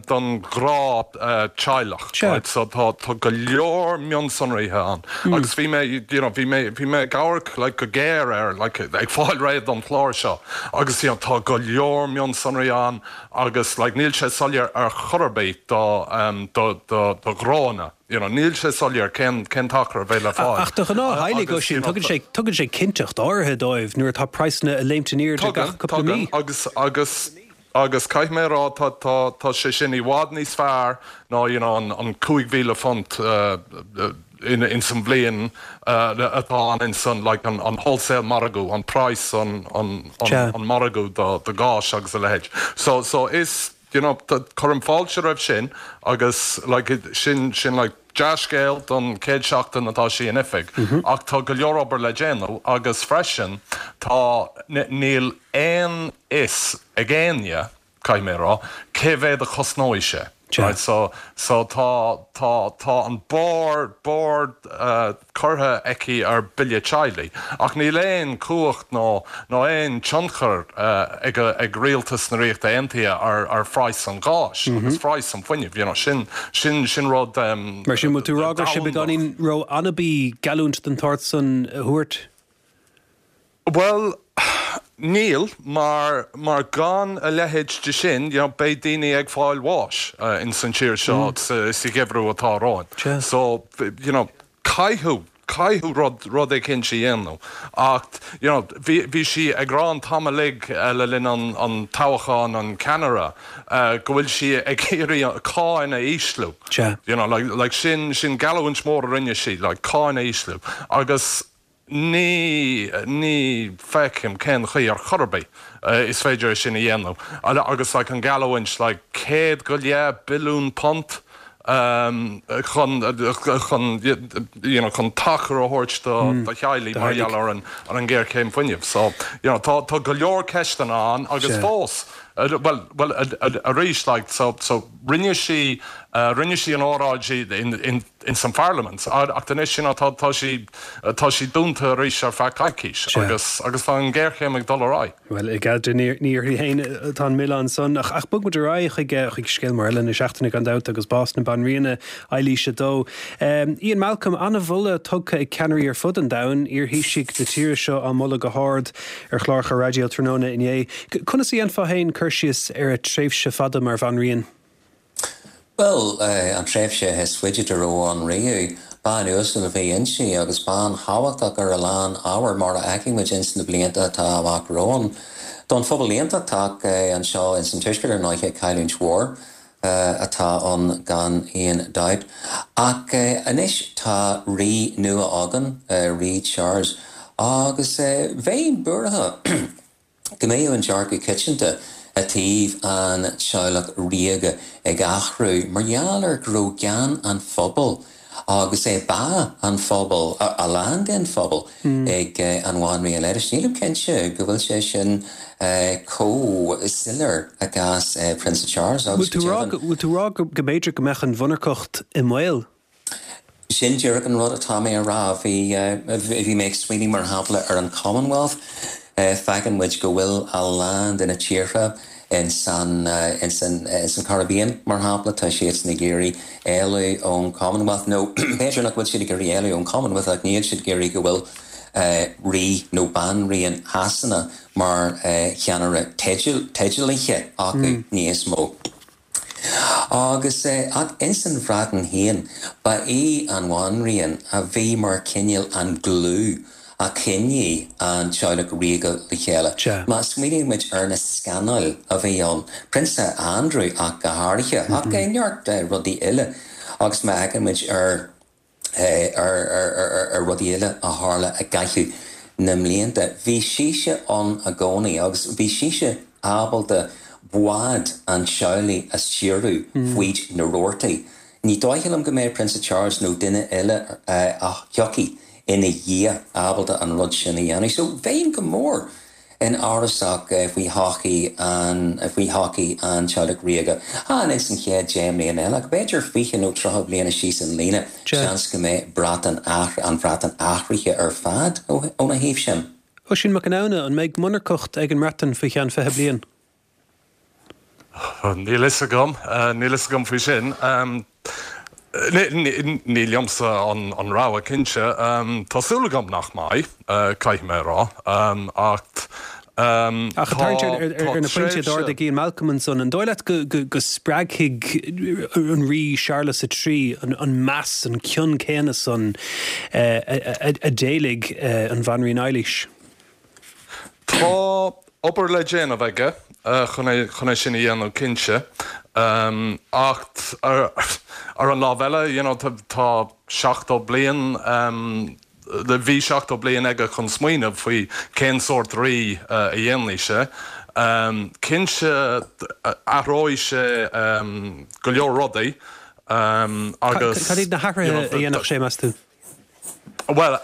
don ghnáth teaghlach, Sea. right, so tá, tá go leor mionsonraithe ann agus bhí mé, you know, bhí mé, bhí mé ag amharc like go géar air, like ag fáil réidh don chlár seo agus you know tá go leor mionsonraí ann agus like níl sé soiléir ar chor ar bith do, do, do, do ghnóanna. You know, níl sé soiléir cén, cén t-achar a bheidh le fáil. Ach do ghnáth-theaghlaigh, Agus, Oisín, you know, tugann sé, tugann sé cinnteacht áirithe dóibh nuair atá praghsanna ag léimt in airde gach Tugann, cúpla mí. tugann, agus, agus, agus caithfidh mé a rá, tá, tá, tá sé sin i bhfad níos fearr ná, you know, an, an £5,000 eh, in, ins an bhliain eh, atá ann ins an, like, an, an wholesale margadh, an praghas, an, an, an, Sea. an margadh do, do ghás agus a leithéid. So, so is, You know, cuirim fáilte roimh sin agus like sin, sin like dea-scéal don chéad seachtain atá sí in oifig ach tá go leor obair le déanamh agus freisin tá, níl aon fhios ag éinne, caithfidh mé a rá, cé mhéad a chosnóidh sé. Right, so, so tá, tá, tá an barr, barr eh, curtha aici ar bille teaghlaigh, ach níl aon chumhacht nó nó aon tionchar ag ag rialtas na Ríochta Aontaithe ar ar phraghas an gháis agus phraghas an fuinnimh, you know, sin sin sin rud Mar sin, bhfuil tú ag rá go raibh sé domhanda. beagáinín ró-anabaí geallúint den tsórt san a thabhairt? Bhuel, níl, mar, mar gan a leithéid de sin, you know, beidh daoine ag fáil bháis ins an tír seo sa, sa gheimhreadh atá romhainn. So, you know, caithfidh, caithfidh rud, rud eicínt a dhéanamh. Ach, you know, bhí, bhí sí ag rá an t-am uilig le linn an, an toghcháin, an ceannaire, go bhfuil sí ag iarraidh cáin a ísliú. You know, like, like sin, sin geallúint mór a rinne sí, like, cáin a ísliú. Agus, Ní, ní feicim cén chaoi ar chor ar bith is féidir é sin a dhéanamh. Agus like an geallúint like £100 go leith billiún chun, chun you know chun tacar a thabhairt do, do theaghlaigh mar gheall ar an, ar an ngéarchéim fuinnimh. So, you know, tá, tá go leor ceisteanna ann agus fós, bhuel, bhuel arís like so, so rinne sí, rinne sí an óráid in, in, ins an Pharlaimint, ach anois you know tá tá sí tá sí dúnta arís ar feadh coicís agus agus tá an ghéarchéim ag dul ar aghaidh. Bhuel, i gcead di, ní ní uirthi féin atá an milleán san, ach ach bog muid ar aghaidh chuig chuig scéal mór eile na seachtaine gan dabht agus bás na Banríona, Eilís a Dó. Ian Malcolm, an-mholadh tugtha ag ceannairí ar fud an domhain, iarthaoisigh na tíre seo á moladh go hard ar chláracha raidió tráthnóna inné. Conas a dhéanfá féin cur síos ar a tréimhse fada mar bhanríon? Bhuel, an tréimhse is faide dá raibh ann riamh, bean uasal a bhí inti agus bean thábhachtach ar a lán ábhar mar a fheicfidh muid ins na blianta atá amach romhainn. Don phobal aontachtach anseo ins an Tuaisceart ar ndóighe cailliúint mhór atá ann gan aon dabht. Ach anois tá rí nua againn, Rí Charles, agus bheinn buartha. go mbeadh an dearcadh coitianta i dtaobh an teaghlach ríoga ag athrú mar gheall ar go raibh gean an phobail agus é bá an phobail, a lán den phobal, ag an Bhanríon Eilís. Nílim cinnte go bhfuil sé sin chomh soiléir i gcás Prionsa Charles agus go deimhin. Bhfuil tú ag rá go mb'fhéidir go mbeadh an mhonarcacht i mbaol? Sin díreach an rud atá mé a rá. Bhí, bhí mé ag smaoineamh mar shampla ar an Commonwealth. Feiceann muid go bhfuil a lán de na tíortha in san, in san, in san Caribbean mar shampla, tá siadsan ag iarraidh éalú ón Commonwealth nó b'fhéidir nach bhfuil siad ag iarraidh éalú ón Commonwealth ach níl siad ag iarraidh go bhfuil Rí nó Banríon Shasana mar cheannaire teidealaithe acu níos mó. Agus, ach ins an Bhreatain féin, ba í an Bhanríon a bhí mar cineál an glue a choinnigh an teaghlach ríoga le chéile. Má smaoiníonn muid ar na scannail a bhí ann, Prionsa Andrew ach go háirithe, ach neart rudaí eile. Agus má fhéachann muid ar ar rudaí eile a tharla i gcaitheamh na mblianta, bhí sise ann i gcónaí agus bhí sise ábalta bád an teaghlaigh a stiúradh fríd na rabhartaí. Ní dóiche liom go mbeidh Prionsa Charles nó duine eile a thiocfaidh ina dhiaidh ábalta an rud sin a dhéanamh. So bheinn go mór an-amhrasach faoi thodhchaí an faoi thodhchaí an teaghlaigh ríoga. Chan ins an chéad 10 mbliana eile, ach b'fhéidir 20 nó 30 bliana síos an líne, seans go mbeidh Breatain an Bhreatain athraithe ar fad óna thaobh sin. Oisín Mac Conamhna, an mbeidh monarcacht ag an mBreatain faoi cheann 20 bliain? Níl fhios agam, níl fhios agam faoi sin. Ní liomsa an rogha, cinnte. Tá súil agam nach mbeidh, caithfidh mé a rá. Ach Ach ag tarraingt ar na pointí a d'ardaigh Ian Malcolm ansan, an dóigh leat go spreagfaidh an Rí Séarlas a Trí an meas, an cion céanna san a d'éiligh an Bhanríon Eilís? Tá obair le déanamh aige chun é chun é sin a dhéanamh cinnte. Ach ar an lámh eile, you know, tá 70 bliain, bhí 70 bliain aige chun smaoineamh faoi cén sórt rí a dhéanfaidh sé. Cinnte athróidh sé go leor rudaí agus. Cad iad na hathruithe a dhéanfadh sé, meas tú? Bhuel,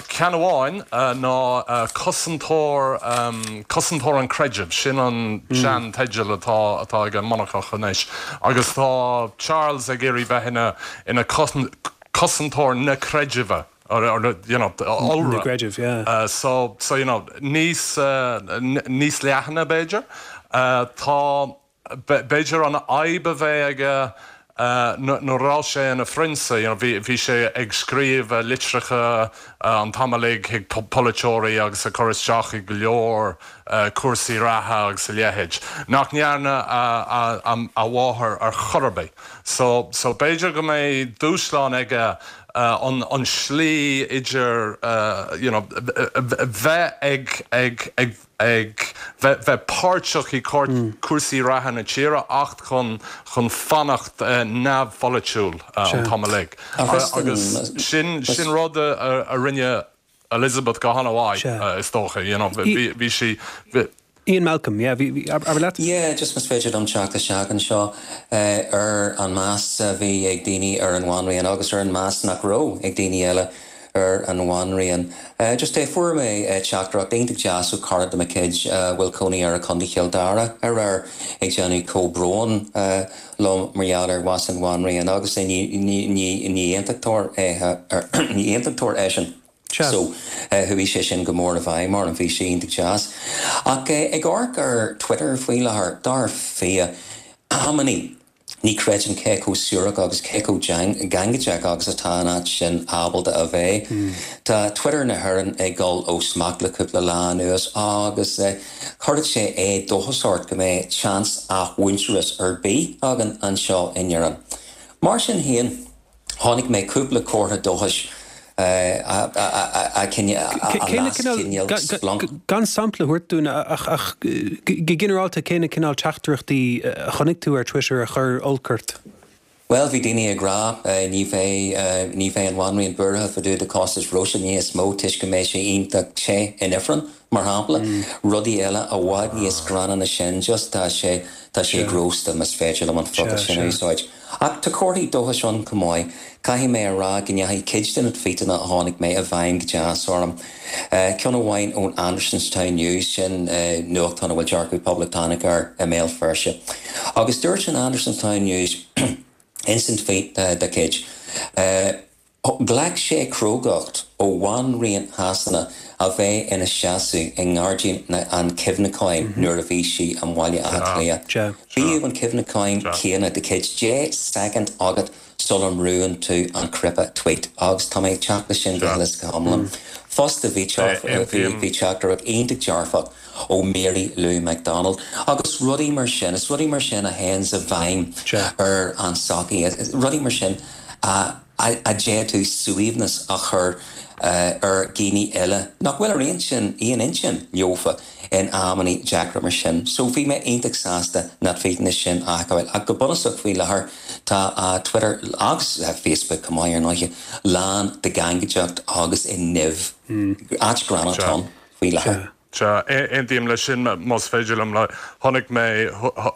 ceann amháin ná cosantóir, cosantóir an chreidimh, sin an sean-teideal atá atá ag an monarcacht anois. Agus tá Charles ag iarraidh bheith ina ina cosantóir na creidimhe, or you know, iolra. Na gcreideamh, yeah. So, so you know, níos, níos leathana b'fhéidir. Tá. B'fhéidir an fhadhb a bheidh aige nuair a raibh sé ina phrionsa, you know, bhí sé ag scríobh litreacha an t-am uilig chuig polaiteoirí agus ag cur isteach i go leor cúrsaí reatha agus a leithéid, nach ndearna a mháthair ar chor ar bith. So, so b'fhéidir go mbeidh dúshlán aige an slí idir, you know, bheith ag, ag, ag, ag bheith páirteach i cúrsaí reatha na tíre ach chun chun fanacht neamhpholaitiúil an t-am uilig. Agus sin sin rud a rinne Elizabeth go han-mhaith is dócha, you know, bhí sí. Ian Malcolm, yeah, bhí, abair leat. Yeah, just más féidir liom teacht isteach anseo ar an meas a bhí ag daoine ar an bhanríon agus ar an meas nach raibh ag daoine eile ar an bhanríon. Just eh fuair mé teachtaireacht iontach deas ó cara de mo chuid a bhfuil cónaí air i Contae Chill Dara aréir ag déanamh comhbhrón liom mar gheall ar bhás an bhanríon agus ní ní aontachtóir é ní aontachtóir eisean. So chuaigh sé sin go mór i bhfeidhm orm, bhí sé iontach deas. Ach ag amharc ar Twitter faoi láthair, dar fia, amannaí, Ní chreidim cé chomh suarach agus cé chomh gangaideach agus atá an áit sin ábalta a bheith. Tá Twitter na hÉireann ag dul ó smacht le cúpla lá anuas agus cuireann sé éadóchas ort go mbeidh seans athmhuintearas ar bith againn anseo in Éirinn. Mar sin féin, Chonaic mé cúpla comhartha dóchais a las cineál splanc. Gan sampla a thabhairt dúinn ach go ginearálta cé na cineál teachtaireachtaí a chonaic tú ar Twitter a chuir olc ort? Bhuel, bhí daoine ag rá ní bheidh ní bheidh an Bhanríon buartha fá dtaobh de costas breosla níos mó toisc go mbeidh sé iontach te in ifreann, mar shampla. Rudaí eile i bhfad níos gránna ná sin, just tá sé tá sé grósta más féidir liom an focal sin a úsáid. Ach tá comharthaí dóchais ann chomh maith. Caithfidh mé a rá go ndeachaigh cuid de na tvuíteanna a chonaic mé i bhfeidhm go deas orm. Ceann amháin ón Andersonstown News, sin nuachtán a bhfuil dearcadh poblachtánach air i mBéal Feirste. Agus dúirt an Andersonstown News ins an tvuít dá chuid, Ghlac sé crógacht ó Bhanríon Shasana a bheith ina seasamh i nGairdín an Chuimhneacháin nuair a bhí sí i mBaile Átha Cliath. Bíodh an cuimhneachán céanna de chuid 10 soicind agat sula mbrúnn tú an cnaipe tweet agus tá mé ag teacht leis sin go huile is go hiomlán. Fosta bhí teachtaireacht iontach dearfach ó Mary Lou McDonald agus rudaí mar sin. Is rudaí mar sin a théanns i bhfeidhm ar an tsochaí. Rudaí mar sin a. A d'fhéadfadh suaimhneas a chur ar dhaoine eile nach bhfuil ar aon aon intinn leofa in amannaí deacra mar sin. So bhí mé iontach sásta na tweetanna sin a fheiceáil. Ach go bunúsach faoi láthair tá Twitter agus Facebook chomh maith ar ndóighe lán de gangaideacht agus i nimh. Áit gránna atá ann faoi láthair. Sea, aontaím leis sin más féidir liom. Chonaic mé,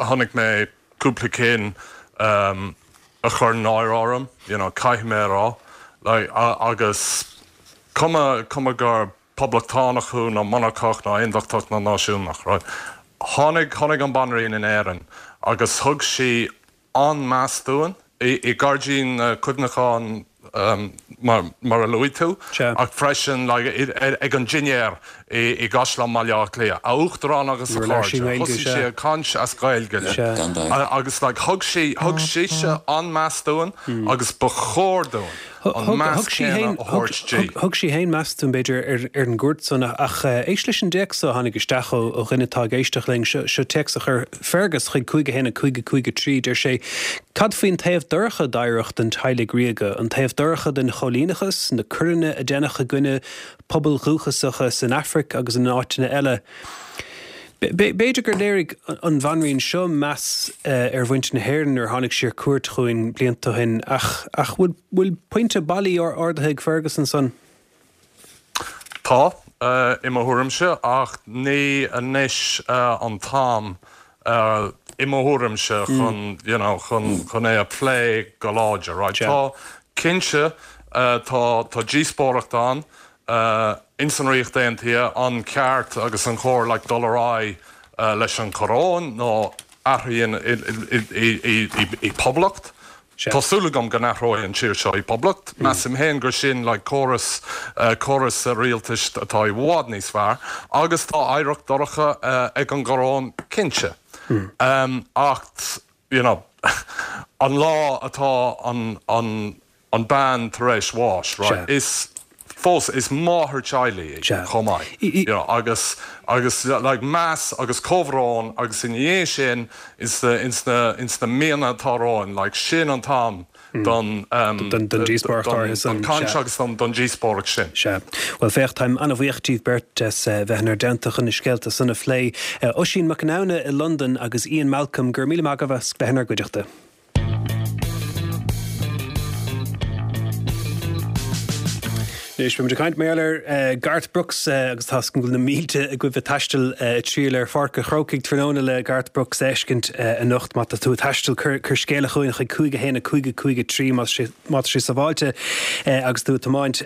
chonaic mé cúpla cinn a chuir náire orm, you know, caithfidh mé a rá. Like, agus cuma, cuma gur poblachtánach thú nó monarcach nó aondachtach nó náisiúnach, right? Tháinig, tháinig an Banríon in Éirinn agus thug sí an-meas dúinn i nGairdín Cuimhneacháin mar a luaigh tú, ach freisin ag an dinnéar i gCaisleán Bhaile Átha Cliath, a Uachtarán agus a chairde, thosaigh sí ag caint as Gaeilge linn agus thug sí, thug sise an-meas dúinn agus ba chóir dúinn an meas céanna a thabhairt di. Thug sí féin meas dúinn, b'fhéidir, ar an gcuairt san, ach éist leis an dtéacs seo a tháinig isteach ó dhuine atá ag éisteacht linn. Seo téacs a chuir Fergus chuig 5 1 5 5 3. Deir sé, Cad faoin taobh dorcha d'oidhreacht an teaghlaigh ríoga, an taobh dorcha den choilíneachas, na coireanna a deineadh i gcoinne pobail dhúchasacha san Afraic agus in áiteanna eile? B'fhéidir gur léirigh an bhanríon seo meas ar mhuintir na hÉireann nuair a tháinig sí ar cuairt chugainn blianta ó shin, ach ach bhfuil pointe bailí ardaithe ag Fergus ansan? Tá, i mo thuairimse, ach ní anois an t-am, i mo thuairimse, chun, you know, chun, chun é a phlé go láidir, right? Tá, cinnte, tá, tá díospóireacht ann ins an Ríocht Aontaithe, an ceart agus an chóir, like, dul ar aghaidh leis an choróin nó athrú i poblacht. Tá súil agam go n-athróidh an tír seo i bpoblacht. Measaim féin gur sin like córas, córas rialtais atá i bhfad níos fearr. Agus tá oidhreacht dorcha ag an gcoróin, cinnte. Ach, you know, an lá atá an, an, an bean tar éis bháis, right, is fós, is máthair teaghlaigh í chomh maith, you know, agus, agus like meas agus comhbhrón agus ina dhiaidh sin, ins na, ins na, ins na míonna atá romhainn, like sin an t-am don, don, don díospóireacht áirithe san, don chaint agus don, don díospóireacht sin. Sea. Bhuel féach, táim an-bhuíoch díbh beirt as bheith inár dteannta chun na scéalta san a phlé. Oisín Mac Conamhna i Londain agus Ian Malcolm, go raibh míle maith agaibh as bheith inár gcuideachta. Anois, beimid ag caint mar gheall ar Garth Brooks agus tá a fhios agam go bhfuil na mílte agaibh ag taisteal ag triall ar Pháirc an Chrócaigh tráthnóna le Garth Brooks a fheiscint anocht. Má tá tú ag taisteal, cuir scéala chugainn chuig 5 1 5 5 3 má tá sé sábháilte agus tú ag tiomáint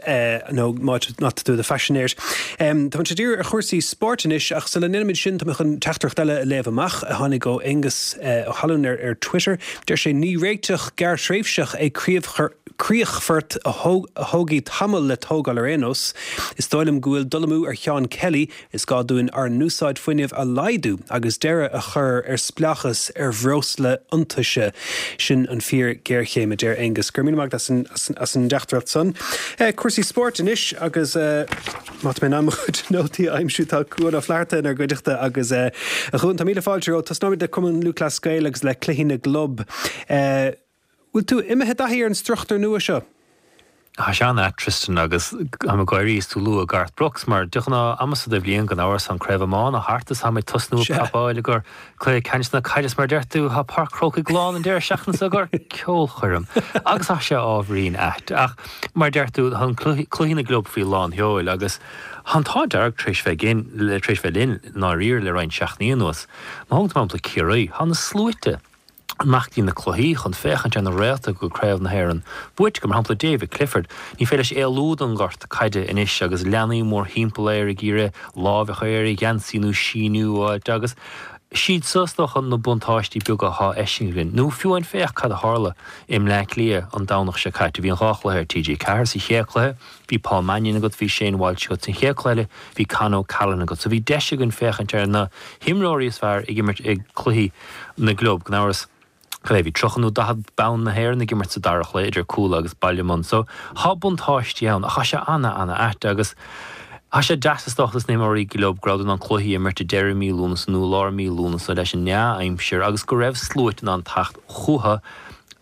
nó má tá tú i do phaisinéir. Táimid ag díriú ar chúrsaí spóirt anois ach sula ndéanaimid sin tá mé chun teachtaireacht eile a léamh amach a tháinig ó Aonghus Ó hAlmhain ar Twitter. Deir sé, Ní réiteach gearrthréimhseach é críochfort a thógfaidh tamall le tógáil ar aon nós. Is dóigh liom go bhfuil dul amú ar Sheán Kelly, is gá dúinn ár n-úsáid fuinnimh a laghdú agus deireadh a chur ar spleáchas ar bhreosla iontaise. Sin an fíor-ghéarchéim, a deir Aonghus. Go raibh míle maith agat as an dteachtaireacht san. Cúrsaí spóirt anois agus. Má tá mé in ann mo chuid nótaí a aimsiú, tá Cuan Ó Flatharta inár gcuideachta agus a Chuain, tá míle fáilte romhat. Tosnóimid le Cumann Lúthchleas Gael agus le cluichí na gclub. Bhfuil tú imithe i dtaithí ar an struchtúr nua seo? Tá sé an-ait, Tristan, agus táim ag gáirí is tú ag lua Garth Brooks, mar de ghnáth, am seo de bhliain, gan amhras, tá an Craobh Iomána thart is táimid ag tosnú ag prapáil i gcomhair Cluiche ceannais na caide is mar a deir tú, tá Páirc Chrócaigh lán an deireadh seachtaine seo i gcomhair ceolchoirm agus tá sé ábhairín ait. Ach mar a deir tú, tá an cluichí na gclub faoi lán sheoil agus tá an t-ádh dearg tar éis bheith againn, tar éis bheith linn i ndáiríre le roinnt seachtainí anuas. Má thógann tú mar shampla Ciarraí, tá na sluaite amach go dtí na cluichí chun féachaint ar na réalta go Craobh na hÉireann buaite acu, mar shampla David Clifford. Ní féidir leis éalú den ghort caide anois agus leanaí mórthimpeall air ag iarraidh lámh a chur ar a gheansaí nó síniú a fháilt agus siad seo is dócha na buntáistí beaga atá feiscithe againn. Nó fiú amháin féach cad a tharla i mBleá Cliath an Domhnach seo caite. Bhí an dhá chluiche ar TG4. Sa chéad chluiche bhí Paul Mannion agat, bhí Shane Walsh agat. San chéad chluiche eile bhí Con O'Callaghan agat. So bhí deis againn féachaint ar na himreoirí is fearr ag imirt i gcluichí na gclub. Gan amhras. Cad é, bhí 30 nó 40 bonn na hÉireann ag imirt sa dara chluiche idir Cuala agus Baile Munna. So, thá buntáistí ann ach thá sé ana, ana ait agus thá sé deas is dócha dos na himreoirí gclub go rabhadar in ann cluichí a imirt i deireadh mí Lúnasa nó i lár mí Lúnasa leis an ndea-aimsir agus go raibh sluaite in ann teacht chucu.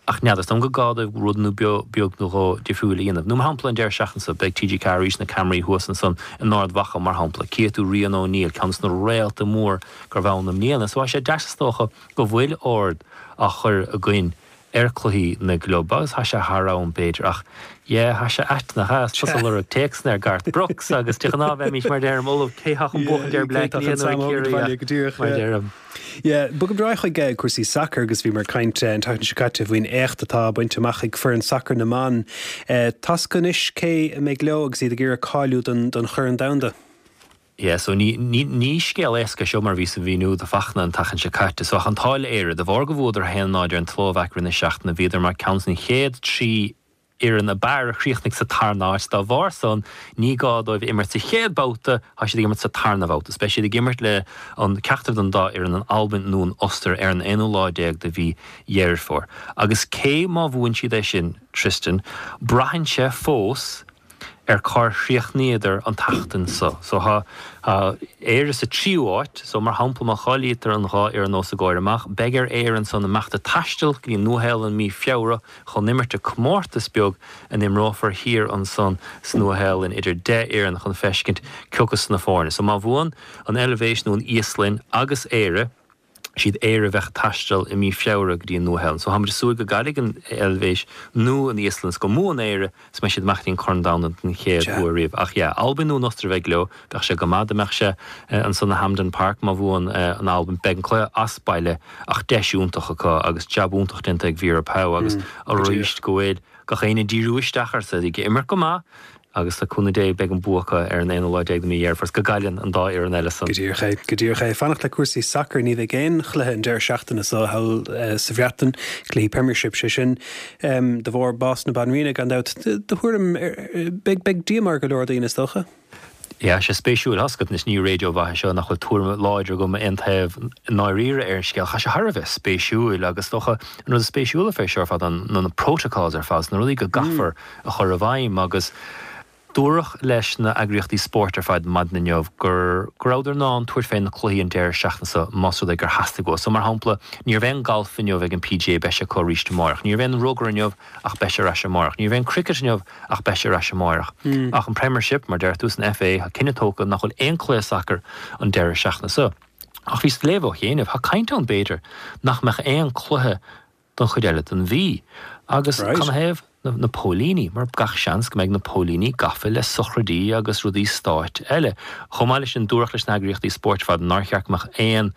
Ach n'fheadar, is dóigh liom gur gá dóibh rud nó beag nó dhó difriúil a dhéanamh. Nó mar shampla an deireadh seachtaine seo, beidh TG4 arís na ceamaraí thuas ansan in Ard Mhacha mar shampla. Cífidh tú Rian O'Neill, ceann des na réalta mór go raibh ann i mbliana. So tá sé deas is dócha go bhfuil aird á chur againn ar cluichí na gclub agus tá sé thar am b'fhéidir ach yeah tá sé ait nach ea? Is tusa ag lorg téacsanna ar Garth Brooks agus de ghnáth bheimís mar deirim ullamh cé thá chun buachan ar Bleá Cliath nó ag Ciarraí ach mar deirim. Yeah, bogaim ar aghaidh chuig cúrsaí sacair agus bhíomar ag caint an tseachtain seo caite faoin éacht atá bainte amach ag foireann sacair na mban. Tá's acu anois cé a mbeidh leo agus iad ag iarraidh cáiliú don Chorn Domhanda. Yeah, so ní, ní, ní scéal éasca é seo mar a bhíos a mhíniú do Fachtna an tseachtain seo caite. So ach an t-ádh le Éire, de bharr go bhuadar 1-0 ar an tSlóvaic roimh na seachtaine, bhíodar mar ceann den chéad 3 fhoireann ab fhearr a chríochnaigh sa tarna áit. Dá bharr san, ní gá dóibh imirt sa chéad babhta, tá siad ag imirt sa tarna bhabhta. So beidh siad ag imirt le an ceachtar den dá fhoireann, an Albain nó an Ostair, ar an aonú lá déag de mhí Dheireadh Fómhair. Agus cé má bhuann siad é sin, Tristan, braitheann sé fós, ar cár chríochnaíodar an tseachtain so. So thá, thá Éire sa tríú áit, so mar shampla má cháilítear an dhá fhoireann os a gcomhair amach, beidh ar Éire ansan imeacht ag taisteal go dtí an Nua-Shéalainn mí Feabhra chun imirt i comórtas beag a n-imreofar thiar ansan sa Nua-Shéalainn idir 10 fhoireann chun feiscint cioca sna foirne. So má bhuann an Eilvéis nó an Íoslainn agus Éire, siad Éire a bheadh ag taisteal i mí Feabhra go dtí an Nua-Shéalainn. So táimid ag súil go gcaillfidh an Eilvéis nó an Íoslainn is go mbuann Éire is mbeidh siad amach go dtí an Corn Domhanda den chéad uair riamh. Ach yeah, Albain nó an Ostair a bheidh leo. Bheadh sé go maith dá mbeadh sé ansan i Hampden Park má bhuann an Albain. Beidh an cluiche as baile ach deis iontach acu agus jab iontach déanta ag Vera Pauw agus arís go bhfuil gach éinne ag díriú isteach air so ag imirt go maith Agus le cúnamh Dé beidh an bua acu ar an aonú lá déag de mhí Dheireadh Fómhair is go gcailleann an dá fhoireann eile san. Go díreach é, go díreach é. Fanacht le cúrsaí sacair, ní bheidh aon chluiche an deireadh seachtaine seo thall sa Bhreatain, cluichí Premiership sé sin, de bharr bás na Banríona gan dabht. Do thuairim, beidh, beidh díomá ar go leor daoine is dócha? Yeah, sé spéisiúil, tá's agat anois, ní raidió mhaith é seo nach bhfuil tuairim láidir agam aon taobh i ndáiríre ar an scéal. Tá sé thar a bheith spéisiúil agus is dócha an rud is spéisiúla fé seo ar fad ná na protocols ar fad, na rudaí go gcaithfear a chur i bhfeidhm agus dúradh leis na eagraíochtaí spóirt ar fad maidin inniu gur go rabhadar in ann tabhairt fé na cluichí an deireadh seachtaine seo más rud é gur theastaigh uathu. So mar shampla ní raibh aon galf inniu ag an PGA beidh sé acu arís amáireach. Ní raibh aon rugar inniu ach beidh sé ar ais amáireach. Ní raibh aon cricket inniu ach beidh sé ar ais amáireach. Ach an Premiership, mar deir tú, san FA, tá cinneadh tógtha nach bhfuil aon cluiche sacair an deireadh seachtaine seo. Ach bhíos ag léamh ó chianaibh, tá caint ann b'fhéidir nach mbeadh aon cluiche don chuid eile den mhí. Agus canathaobh? Na póilíní, mar gach seans go mbeidh na póilíní gafa le sochraidí agus rudaí stáit eile. Chomh maith leis sin, dúradh leis na heagraíochtaí spóirt ar fad nár cheart go mbeadh aon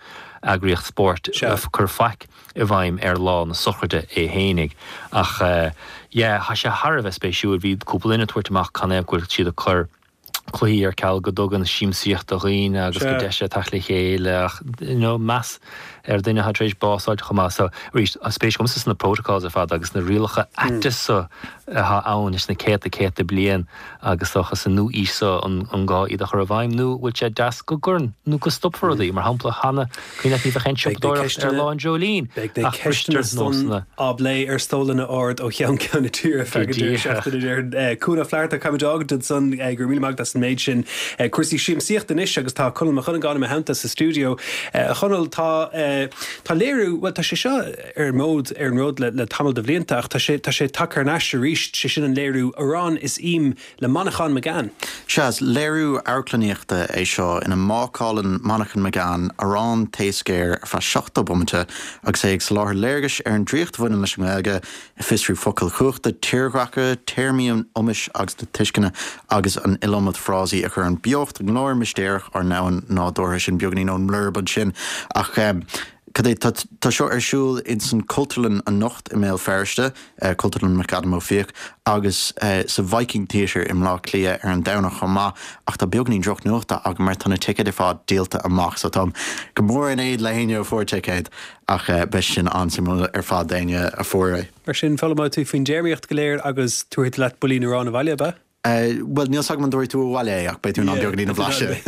eagraíocht spóirt ag cur faic i bhfeidhm ar lá na sochraide é fhéinig. Ach yeah, tá sé thar a bheith spéisiúil. Bhí cúpla duine ag tabhairt amach canathaobh go bhfuil siad ag cur cluichí ar ceal go dtugann siamsaíocht do dhaoine agus go deis é teacht le chéile ach you know meas ar dhuine atá tar éis bás a fháilt chomh maith. So arís, tá spéis agamsa sna protocols ar fad agus na rialacha aite so atá ann leis na céadta céadta bliain agus dócha sa nua-aois so an gá iad a chur i bhfeidhm nó bhfuil sé deas go gcuireann nó go stopfar rudaí mar shampla cheana cuimhin leat ní bheadh aon siopadóireacht ar lá an dreoilín Beidh na ach bristear ceisteanna san nósanna. á bplé ar stólanna ard ó cheann ceann na tíre feadh an deireadh seachtaine déarfainn. Cuan Ó Flatharta, caithfimid a fhágaint ansan. Go raibh míle maith agat as an méid sin. Cúrsaí siamsaíochta anois agus tá Conall Mac Dhonnagáin i mo theannta sa stiúideo. A Chonaill, tá tá léiriú, bhuel tá sé seo ar an ród ar an ród le le tamall de bhlianta ach tá sé tá sé tagtha thar n-ais arís, sé sin an léiriú Arán is Im le Manchán Magan. Sea, is léiriú amharclannaíochta é seo ina mbácálann Manchán Magan arán taoscéir ar feadh 70 bomaite agus é ag soláthar léargais ar an draíocht a bhaineann leis an nGaeilge, ag fiosrú focail chumhachta, tírdhreacha, téarmaí an iomais agus na tuisceana agus an iliomad frásaí a chuireann beocht i nglór mistéireach ár ndomhain nádúrtha. Sin beagáinín ón mblurb ansin ach cad é, tá seo ar siúl ins an Chultúrlann anocht i mBéal Feirste. Cultúrlann McAdam Ó Fiaich, agus sa Viking Theatre i mBleá Cliath ar an Domhnach chomh maith, ach tá beagáinín drochnuachta agam mar tá na ticéid ar fad díolta amach, so táim go mór in éad le héinne a fuair ticéad, ach beidh sin an-suimiúil ar fad d'éinne a fuair é. Mar sin, foghlaimeoidh tú faoin dtéarmaíocht go léir agus tabharfaidh tú leat builín aráin abhaile, ab ea? Bhuel, níl 's agam an dtabharfaidh tú abhaile é, ach beidh tú in ann beagáinín a bhlaiseadh.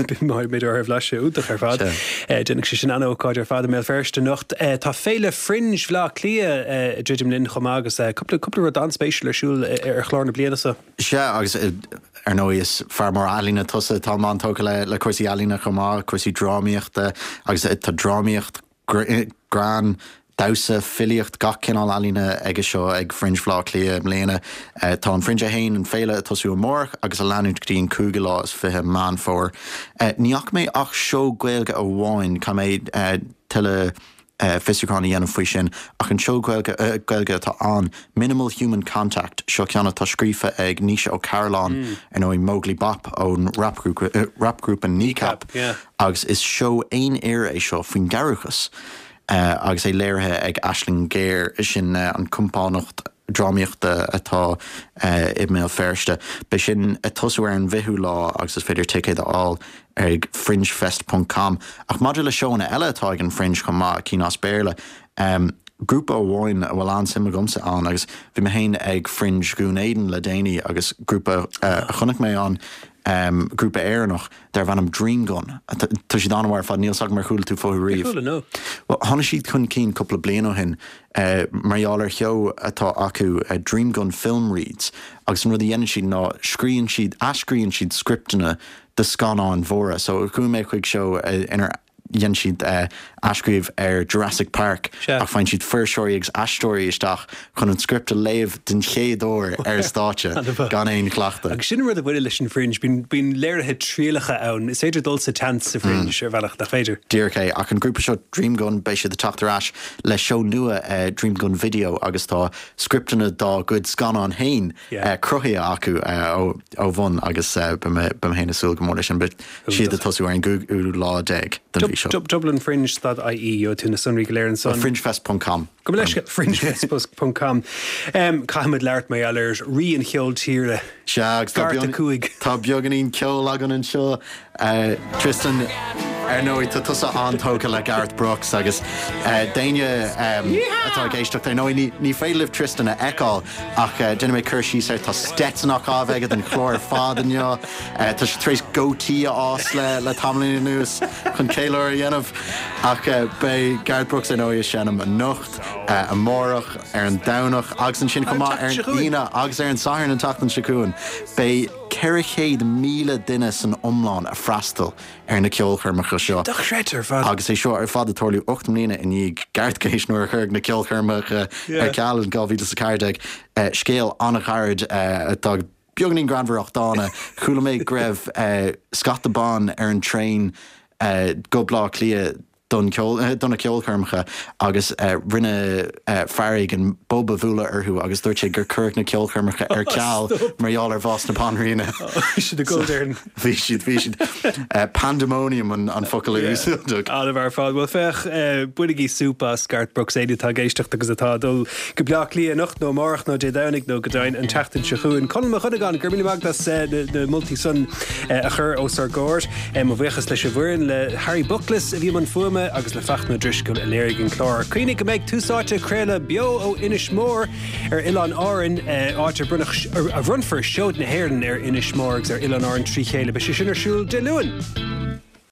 Beidh orthu a bhlaiseadh, iontach ar fad. Déanfaidh sé sin an-ócáid ar fad i mBéal Feirste anocht. Tá Féile Fringe Bhaile Átha Cliath ag druidim linn chomh maith agus cúpla cúpla rud an-spéisiúil ar siúl ar chlár na bliana seo. Sea, agus ar ndóigh is fear mór ealaíne tusa, táim an-tógtha le cúrsaí ealaíne chomh maith, cúrsaí drámaíochta agus tá drámaíocht, greann. Damhsa, filíocht, gach cineál ealaíne aige seo ag Fringe Bhaile Átha Cliath i mbliana. Tá an Fringe é féin, an féile, ag tosú amárach agus ag leanúint go dtí an cúigiú lá is 20 Meán Fómhair. Ní fhaca mé ach seó Gaeilge amháin, caithfidh mé tuilleadh fiosrúcháin a dhéanamh faoi sin, ach an seó Gaeilge Gaeilge atá ann, Minimal Human Contact, seo ceann atá scríofa ag Naoise Ó Cairealláin, ar ndóigh Móglaí Bap ón rapghrúpa Kneecap, agus is seó aon fhir é seo faoin gcearrbhachas. agus é léirithe ag Aisling Ghéar, sin an compánacht drámaíochta atá i mBéal Feirste. Beidh sin ag tosú ar an bhfichiú lá agus is féidir ticéid a fháil ag fringefest ponc com. Ach maidir le seóanna eile atá ag an Fringe chomh maith, cinn as Béarla, grúpa amháin a bhfuil an-suim agamsa ann agus bhí mé féin ag Fringe Dhún Éideann le déanaí agus grúpa a chonaic mé ann, grúpa Éireannach, darbh ainm Dream Gun. Tá siad an-mhaith ar fad, níl 's agam ar chuala tú fúthu riamh. Níor chuala, no. Bhuel, tháinig siad chun cinn cúpla bliain ó shin mar gheall ar sheó atá acu, Dream Gun Film Reads, agus an rud a dhéanann siad ná scríonn siad, athscríonn siad scripteanna do scannáin mhóra. So chuaigh mé chuig seó inar dhein siad athscríobh ar Jurassic Park ach faigheann siad fuirseoirí agus aisteoirí isteach chun an script a léamh den chéad uair ar stáitse gan aon chleachtadh. Agus sin an rud a bhaineann leis an Fringe, bíonn léirithe trialacha ann, is féidir dul sa tseans sa Fringe ar bhealach, nach féidir? Díreach é. Ach an grúpa seo Dream Gun, beidh siad ag teacht ar ais le seó nua Dream Gun Video agus tá scripteanna dá gcuid scannán féin cruthaithe acu ó bhun agus beidh mé féin ag súil go mór leis sin. Beidh siad ag tosú ar an gcúigiú lá déag den mhí seo. Dublinfringe dot ie, gheobhaidh tú na sonraí go léir ansan. Fringefest ponc com. Gabh mo leithscéal, fringefest ponc com. Caithfimid labhairt mar gheall ar rí an cheoil tíre. Sea, agus tá beagáinín ceoil againn anseo. Tristan, ar ndóigh, tá tusa an-tógtha le Garth Brooks agus d'éinne atá ag éisteacht, ar ndóigh, ní féidir libh Tristan a fheiceáil ach déanfaidh mé cur síos air, tá Stetson á chaitheamh aige don chlár ar fad inniu, tá sé tar éis goatee a fhás le tamaillín anuas chun ceiliúradh a dhéanamh. Ach beidh Garth Brooks ar ndóigh ag seinm anocht, amárach, ar an Domhnach agus ansin chomh maith ar an Aoine agus ar an Satharn an tseachtain seo chugainn. Beidh. 400,000 duine san iomlán ag freastal ar na ceolchoirmeacha seo. Dochreidte ar fad. Agus é seo ar fad ag tarlú 8 mbliana i ndiaidh Garthgate nuair a cuireadh na ceolchoirmeacha ar ceal in 2014. Scéal an-ghairid atá beagáinín greannmhar ach dána. Chuala mé go raibh scata ban ar an traein go Baile Átha Cliath don cheol, do na ceolchoirmeacha agus rinne fear éigin bob a bhualadh orthu agus dúirt sé gur cuireadh na ceolchoirmeacha ar ceal mar gheall ar bhás na banríona. Bhí siad ag gol déarfainn. Bhí siad, bhí siad. Pandemonium an focal a úsáideadh. An-mhaith ar fad. Bhuel féach, bainigí súp as Garth Brooks, éinne atá ag éisteacht agus atá ag dul go Bleá Cliath anocht nó amárach nó Dé Domhnaigh nó go deimhin an tseachtain seo chugainn. Conall Mac Dhonnagáin, go raibh míle maith agat as na moltaí san a chur os ár gcomhair. Mo bhuíochas leis an bhfoireann, le Harry Bookless a bhí i mbun fuaime agus le Fachtna Ó Drisceoil a léirigh an clár. Cuimhnigh go mbeidh Tús Áite ag craoladh beo ó Inis Mór ar Oileán Árann, áit a bronnfar Seoid na hÉireann ar Inis Mór agus ar Oileán Árann trí chéile. Beidh sé sin ar siúl Dé Luain.